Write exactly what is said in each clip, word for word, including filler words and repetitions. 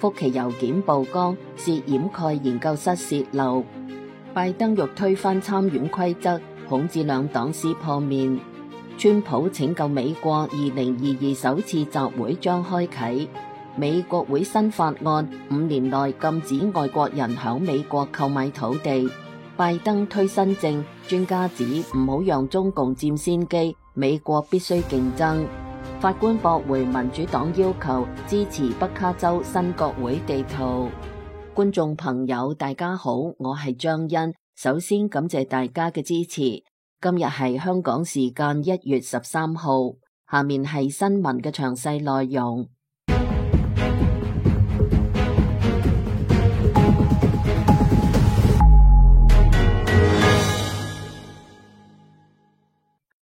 福奇郵件曝光涉掩蓋研究室洩漏。拜登欲推翻參院規則，恐致兩黨撕破面。川普拯救美國二零二二首次集會將開啟。美國會新法案五年內禁止外國人響美國購買土地。拜登推新政，專家指唔好讓中共佔先機，美國必須競爭。法官駁回民主黨要求支持北卡州新國會地圖。觀眾朋友大家好，我係張欣，首先感謝大家嘅支持。今日係香港時間一月十三號，下面係新聞嘅詳細內容。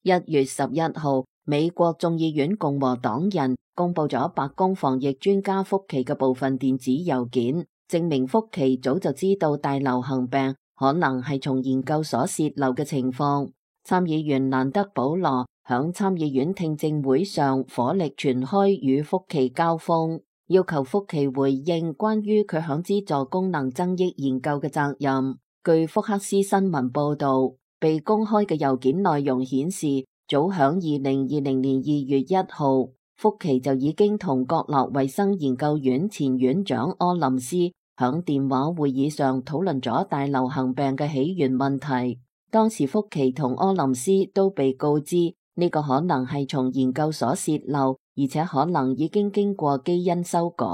一月十一號，美國眾議院共和黨人公布咗白宮防疫專家福奇嘅部分電子郵件，證明福奇早就知道大流行病可能係從研究所洩漏嘅情況。參議員蘭德保羅響參議院聽證會上火力全開與福奇交鋒，要求福奇回應關於佢響資助功能增益研究嘅責任。據福克斯新聞報道，被公開嘅郵件內容顯示，早響二零二零年二月一號，福奇就已經同國立衛生研究院前院長柯林斯響電話會議上討論咗大流行病嘅起源問題。當時福奇同柯林斯都被告知呢個可能係從研究所洩漏，而且可能已經經過基因修改。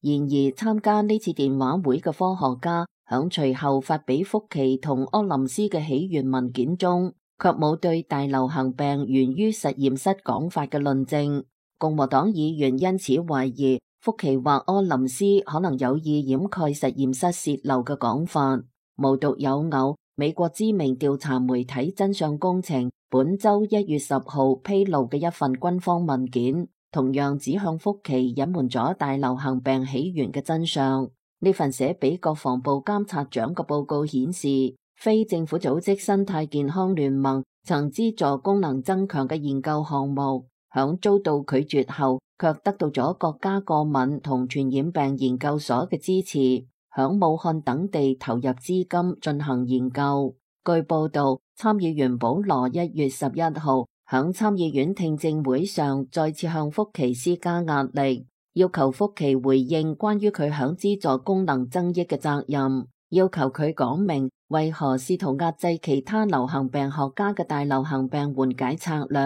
然而參加呢次電話會嘅科學家響隨後發俾福奇同柯林斯嘅起源文件中，卻冇對大流行病源於實驗室講法嘅論證。共和黨議員因此懷疑福奇或柯林斯可能有意掩蓋實驗室洩漏嘅講法。無獨有偶，美國知名調查媒體真相工程本周一月十號披露嘅一份軍方文件，同樣指向福奇隱瞞咗大流行病起源嘅真相。呢份寫俾國防部監察長嘅報告顯示，非政府組織生態健康聯盟曾資助功能增強嘅研究項目，響遭到拒絕後，卻得到咗國家過敏同傳染病研究所嘅支持，響武漢等地投入資金進行研究。據報道，參議員保羅一月十一號響參議院聽證會上再次向福奇施加壓力，要求福奇回應關於佢響資助功能增益嘅責任，要求佢講明為何試圖壓制其他流行病學家嘅大流行病緩解策略。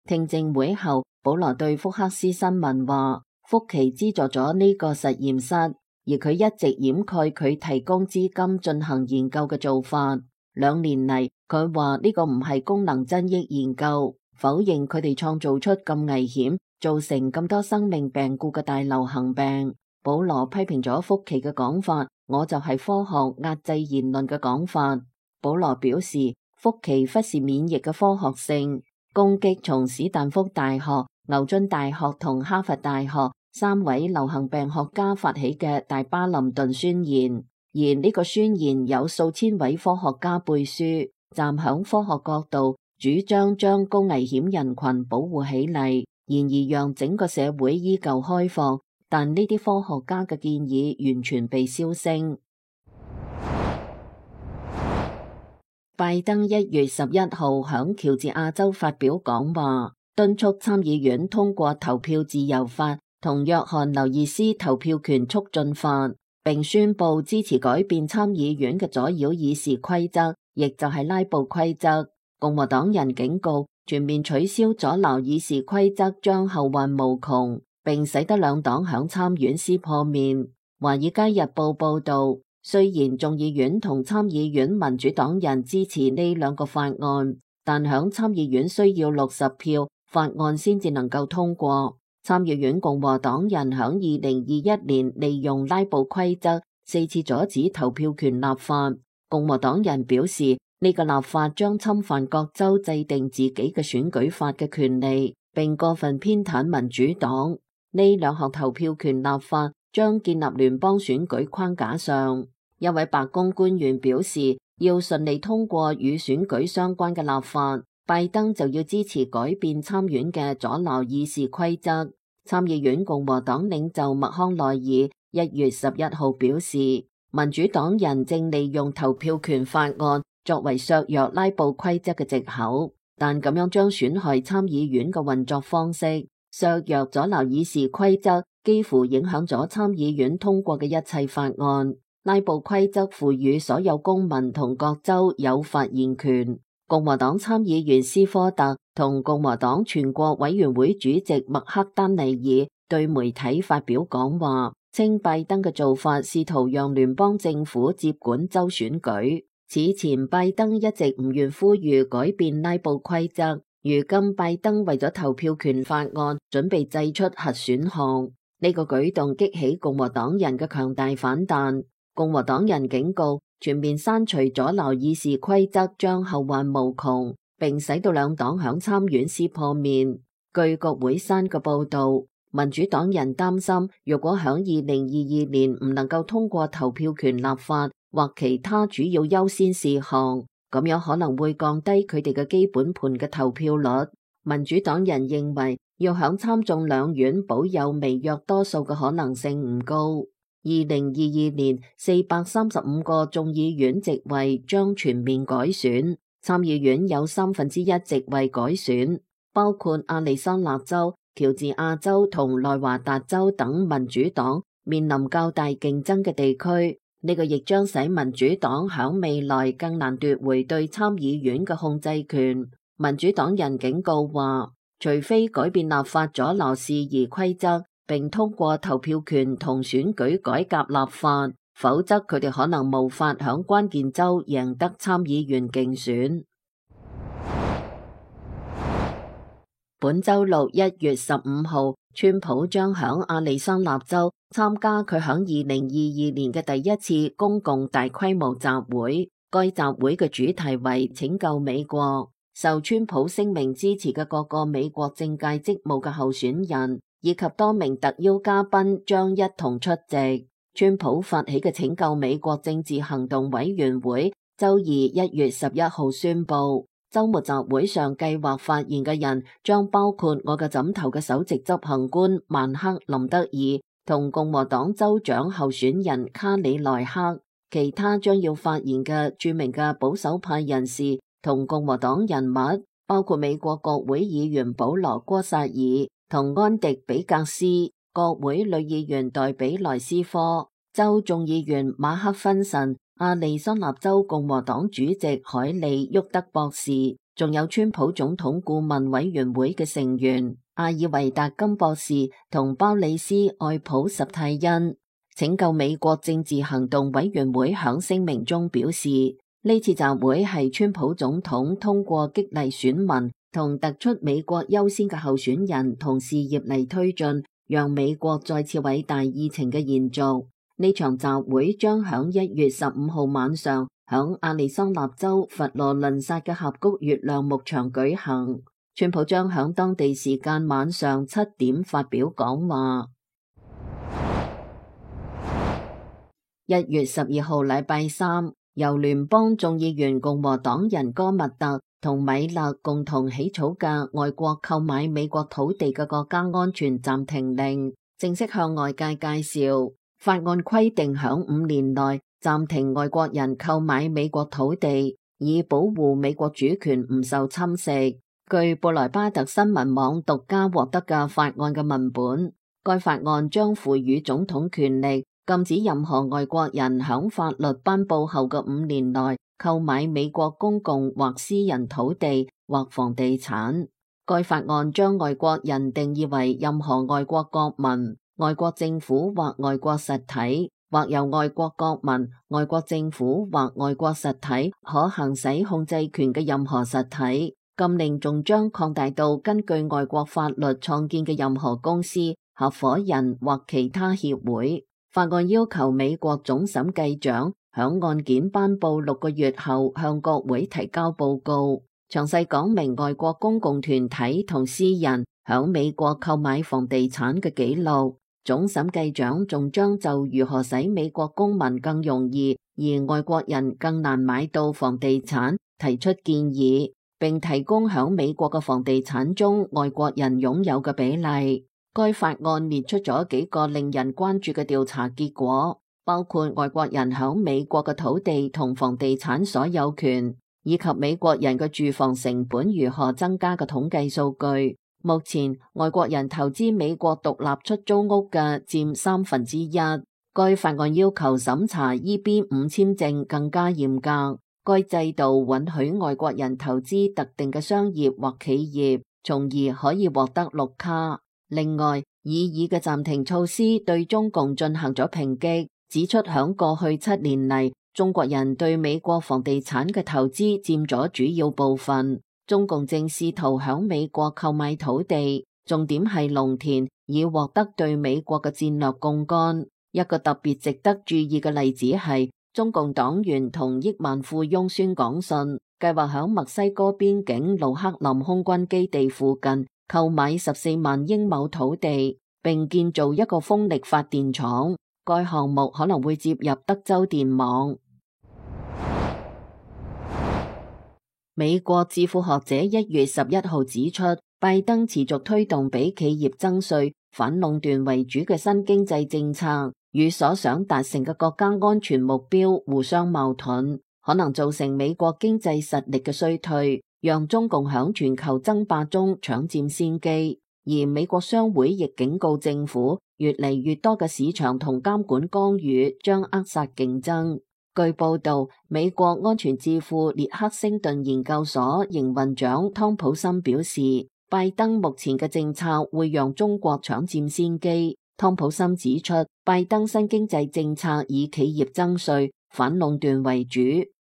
聽證會後，保羅對福克斯新聞話，福奇資助咗呢個實驗室，而佢一直掩蓋佢提供資金進行研究嘅做法。兩年嚟，佢話呢個唔係功能增益研究，否認佢哋創造出咁危險、造成咁多生命病故嘅大流行病。保羅批評咗福奇嘅講法，我就係科學壓制言論嘅講法。保羅表示，福奇忽視免疫嘅科學性，攻擊從史丹福大學、牛津大學同哈佛大學三位流行病學家發起嘅大巴林頓宣言，而呢個宣言有數千位科學家背書，站響科學角度主張將高危險人群保護起嚟，然而讓整個社會依舊開放，但呢啲科學家嘅建議完全被消聲。拜登一月十一號響喬治亞州發表講話，敦促參議院通過投票自由法同約翰劉易斯投票權促進法，並宣布支持改變參議院嘅阻擾議事規則，亦就係拉布規則。共和黨人警告，全面取消阻撓議事規則將後患無窮，並使得兩黨響參院撕破面。華爾街日報報道，雖然眾議院同參議院民主黨人支持呢兩個法案，但響參議院需要六十票，法案先至能夠通過。參議院共和黨人響二零二一年利用拉布規則四次阻止投票權立法。共和黨人表示，呢個立法將侵犯各州制定自己嘅選舉法嘅權利，並過分偏袒民主黨。呢兩項投票權立法將建立聯邦選舉框架上。一位白宮官員表示，要順利通過與選舉相關嘅立法，拜登就要支持改變參院嘅阻撓議事規則。參議院共和黨領袖麥康奈爾一月十一號表示，民主黨人正利用投票權法案作為削弱拉布規則嘅藉口，但咁樣將損害參議院嘅運作方式，削弱阻撓議事規則，幾乎影響咗參議院通過嘅一切法案。拉布規則賦予所有公民同各州有發言權。共和黨參議員斯科特同共和黨全國委員會主席麥克丹尼爾對媒體發表講話，稱拜登嘅做法試圖讓聯邦政府接管州選舉。此前拜登一直唔願呼籲改變拉布規則，如今拜登為咗投票權法案準備祭出核選項，呢個舉動激起共和黨人嘅強大反彈。共和黨人警告，全面刪除阻撓議事規則將後患無窮，並使到兩黨響參院撕破面。據國會山嘅報導，民主黨人擔心，如果響二零二二年唔能夠通過投票權立法或其他主要優先事項，咁樣可能會降低佢哋嘅基本盤嘅投票率。民主黨人認為，要響參眾兩院保有微弱多數嘅可能性唔高。二零二二年四百三十五個眾議院席位將全面改選，參議院有三分之一席位改選，包括亞利桑那州、喬治亞州同內華達州等民主黨面臨較大競爭嘅地區。呢個亦將使民主黨響未來更難奪回對參議院嘅控制權。民主黨人警告話，除非改變立法阻撓事宜規則，並通過投票權同選舉改革立法，否則佢哋可能無法響關鍵州贏得參議員競選。本周六一月十五號，川普將響亞利桑那州參加佢響二零二二年嘅第一次公共大規模集會。該集會嘅主題為拯救美國。受川普聲明支持嘅各個美國政界職務嘅候選人以及多名特邀嘉賓將一同出席。川普發起嘅拯救美國政治行動委員會周二一月十一號宣布，周末集會上計劃發言嘅人將包括我嘅枕頭嘅首席執行官曼克林德爾同共和黨州長候選人卡里萊克，其他將要發言嘅著名嘅保守派人士同共和黨人物包括美國國會議員保羅戈薩爾同安迪比格斯，國會女議員代比萊斯科，州眾議員馬克芬臣，亞利桑那州共和黨主席海利沃德博士，仲有川普總統顧問委員會嘅成員阿爾維達金博士同鮑里斯愛普什泰恩。拯救美國政治行動委員會響聲明中表示，呢次集會係川普總統通過激勵選民同突出美國優先嘅候選人同事業嚟推進，讓美國再次偉大議程嘅延續。呢場集會將響一月十五號晚上響亞利桑那州佛羅倫薩嘅峽谷月亮牧場舉行。川普將響當地時間晚上七點發表講話。一月十二號禮拜三，由聯邦眾議員共和黨人戈密特同米勒共同起草嘅外國購買美國土地嘅國家安全暫停令正式向外界介紹。法案規定響五年內暫停外國人購買美國土地，以保護美國主權唔受侵蝕。據布萊巴特新聞網獨家獲得嘅法案嘅文本，該法案將賦予總統權力，禁止任何外國人響法律頒布後嘅五年內購買美國公共或私人土地或房地產。該法案將外國人定義為任何外國國民、外國政府或外國實體，或由外國國民、外國政府或外國實體可行使控制權嘅任何實體。禁令仲將擴大到根據外國法律創建嘅任何公司、合夥人或其他協會。法案要求美國總審計長響案件頒布六個月後向國會提交報告，詳細講明外國公共團體同私人響美國購買房地產嘅記錄。總審計長仲將就如何使美國公民更容易而外國人更難買到房地產提出建議，並提供響美國嘅房地產中外國人擁有嘅比例。該法案列出咗幾個令人關注嘅調查結果，包括外國人響美國嘅土地同房地產所有權，以及美國人嘅住房成本如何增加嘅統計數據。目前，外國人投資美國獨立出租屋嘅佔三分之一。該法案要求審查 E B 五簽證更加嚴格，該制度允許外國人投資特定嘅商業或企業，從而可以獲得綠卡。另外，擬議嘅暫停措施對中共進行咗抨擊，指出響過去七年嚟，中國人對美國房地產嘅投資佔咗主要部分。中共正試圖響美國購買土地，重點係農田，以獲得對美國嘅戰略槓桿。一個特別值得注意嘅例子係，中共黨員同億萬富翁孫廣信計劃響墨西哥邊境盧克林空軍基地附近購買十四萬英畝土地，並建造一個風力發電廠。該項目可能會接入德州電網。美國智庫學者一月十一號指出，拜登持續推動俾企業徵稅、反壟斷為主嘅新經濟政策，與所想達成嘅國家安全目標互相矛盾，可能造成美國經濟實力嘅衰退，讓中共響全球爭霸中搶佔先機。而美國商會亦警告政府，越嚟越多嘅市場同監管干預將扼殺競爭。據報道，美國安全智庫列克星頓研究所營運長湯普森表示，拜登目前嘅政策會讓中國搶佔先機。湯普森指出，拜登新經濟政策以企業徵稅、反壟斷為主。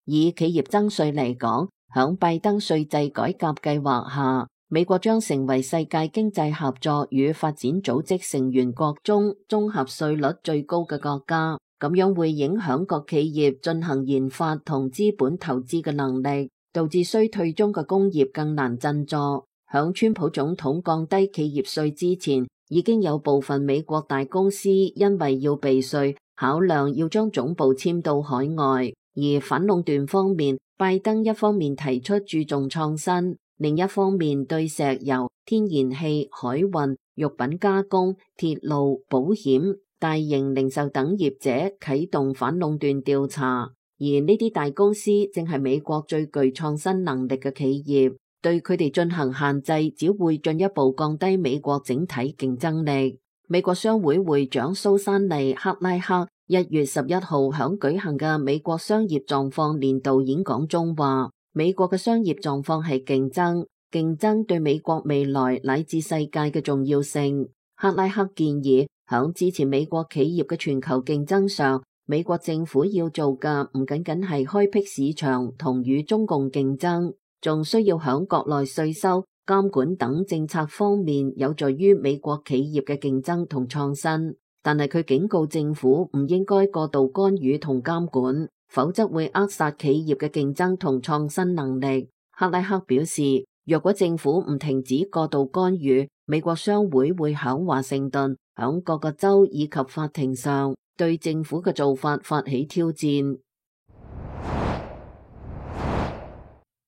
以企業徵稅嚟講，響拜登稅制改革計劃下，美國將成為世界經濟合作與發展組織成員國中綜合稅率最高嘅國家，咁樣會影響各企業進行研發同資本投資嘅能力，導致衰退中嘅工業更難振作。響川普總統降低企業稅之前，已經有部分美國大公司因為要避稅，考量要將總部遷到海外。而反壟斷方面，拜登一方面提出注重創新，另一方面對石油、天然氣、海運、肉品加工、鐵路、保險、大型零售等業者啟動反壟斷調查。而呢啲大公司正係美國最具創新能力嘅企業，對佢哋進行限制，只會進一步降低美國整體競爭力。美國商會會長蘇珊妮·克拉克一月十一號響舉行嘅美國商業狀況年度演講中話，美國嘅商業狀況係競爭，競爭對美國未來乃至世界嘅重要性。克拉克建議響支持美國企業嘅全球競爭上，美國政府要做嘅唔僅僅係開闢市場同與中共競爭，仲需要響國內稅收、監管等政策方面有助於美國企業嘅競爭同創新。但係佢警告政府唔應該過度干預同監管，否則會扼殺企業嘅競爭同創新能力。克拉克表示，若果政府唔停止過度干預，美國商會會響華盛頓、響各個州以及法庭上對政府嘅做法發起挑戰。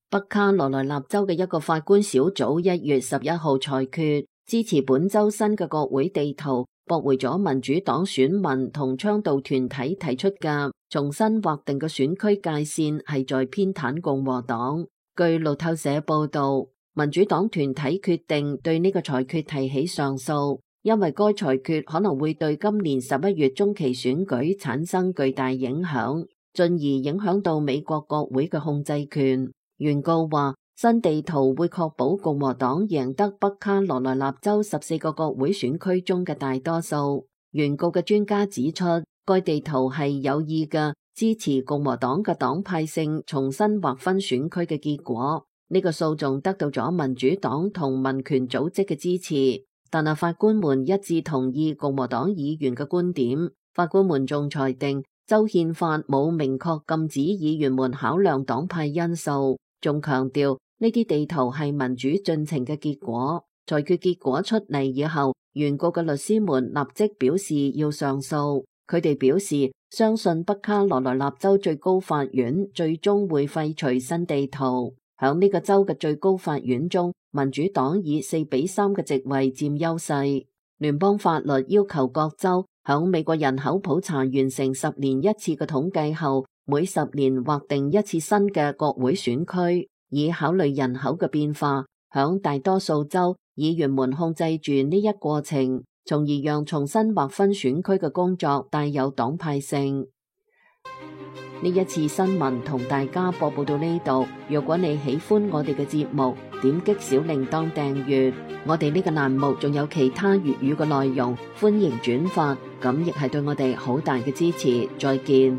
北卡羅來納州嘅一個法官小組一月十一號裁決，支持本州新嘅國會地圖，駁回咗民主黨選民同倡導團體提出嘅重新劃定嘅選區界線係在偏袒共和黨。據路透社報道，民主黨團體決定對呢個裁決提起上訴，因為該裁決可能會對今年十一月中期選舉產生巨大影響，進而影響到美國國會嘅控制權。原告話，新地圖會確保共和黨贏得北卡羅來納州十四個國會選區中嘅大多數。原告嘅專家指出，該地圖係有意嘅，支持共和黨嘅黨派性重新劃分選區嘅結果。呢個訴訟得到咗民主黨同民權組織嘅支持，但係法官們一致同意共和黨議員嘅觀點。法官們仲裁定州憲法冇明確禁止議員們考量黨派因素。仲強調呢啲地圖係民主進程嘅結果。裁決結果出嚟以後，原告嘅律師們立即表示要上訴。佢哋表示相信北卡羅來納州最高法院最終會廢除新地圖。響呢個州嘅最高法院中，民主黨以四比三嘅席位佔優勢。聯邦法律要求各州響美國人口普查完成十年一次嘅統計後，每十年劃定一次新嘅國會選區，以考慮人口嘅變化。響大多數州，議員們控制住呢一過程，從而讓重新劃分選區嘅工作帶有黨派性。呢一次新聞同大家播報到呢度。如果你喜歡我哋嘅節目，點擊小鈴鐺訂閱。我哋呢個欄目仲有其他粵語嘅內容，歡迎轉發，咁亦係對我哋好大嘅支持。再見。